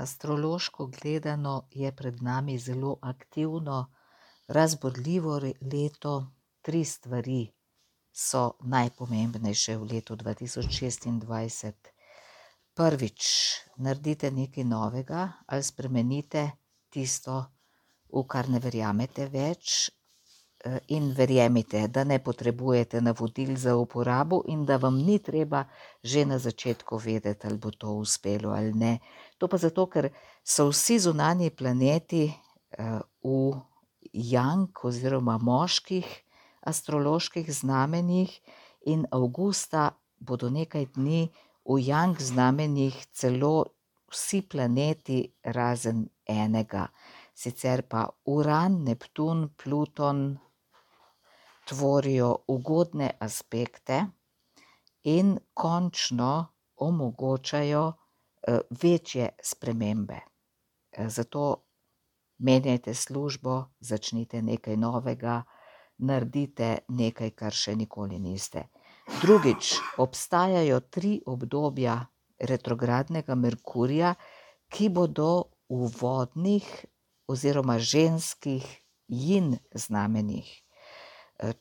Astrološko gledano je pred nami zelo aktivno, razburljivo leto. 3 stvari so najpomembnejše v letu 2026. Prvič, naredite nekaj novega ali spremenite tisto, v kar ne verjamete več, in verjemite, da ne potrebujete navodil za uporabo in da vam ni treba že na začetku vedeti, ali bo to uspelo ali ne. To pa zato, ker so vsi zunanji planeti v Yang oziroma moških astroloških znamenjih in avgusta bodo nekaj dni v Yang znamenjih celo vsi planeti razen enega. Sicer pa Uran, Neptun, Pluton tvorijo ugodne aspekte in končno omogočajo večje spremembe. Zato menjajte službo, začnite nekaj novega, naredite nekaj, kar še nikoli niste. Drugič, obstajajo 3 obdobja retrogradnega Merkurja, ki bodo v vodnih oziroma ženskih Jin znamenjih.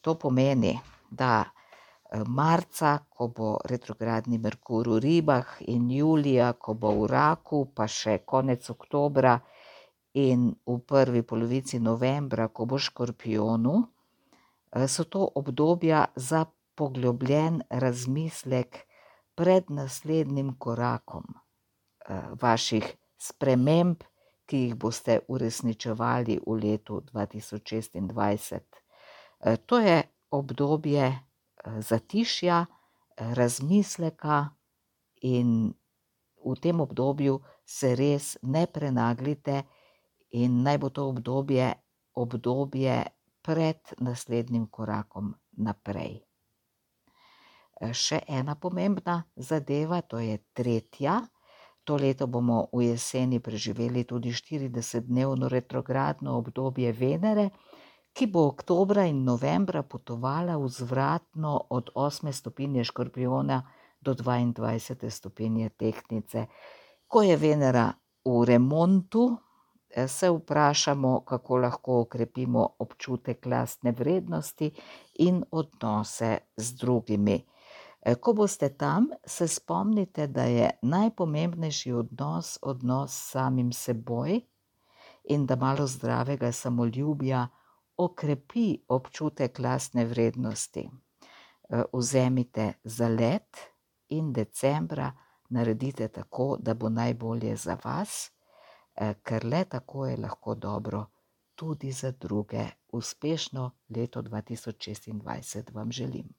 To pomeni, da marca, ko bo retrogradni Merkur v Ribah, in julija, ko bo v Raku, pa še konec oktobra in v prvi polovici novembra, ko bo v Škorpijonu, so to obdobja za poglobljen razmislek pred naslednjim korakom vaših sprememb, ki jih boste uresničevali v letu 2026. To je obdobje zatišja, razmisleka in v tem obdobju se res ne prenaglite in naj bo to obdobje pred naslednjim korakom naprej. Še ena pomembna zadeva, to je 3. To leto bomo v jeseni preživeli tudi 40-dnevno retrogradno obdobje Venere, ki bo oktobra in novembra potovala vzvratno od 8. stopinje Škorpijona do 22. stopinje Tehtnice. Ko je Venera v remontu, se vprašamo, kako lahko okrepimo občutek lastne vrednosti in odnose z drugimi. Ko boste tam, se spomnite, da je najpomembnejši odnos s samim seboj in da malo zdravega samoljubja okrepi občutek lastne vrednosti. Vzemite zalet in decembra naredite tako, da bo najbolje za vas, ker le tako je lahko dobro tudi za druge. Uspešno leto 2026 vam želim.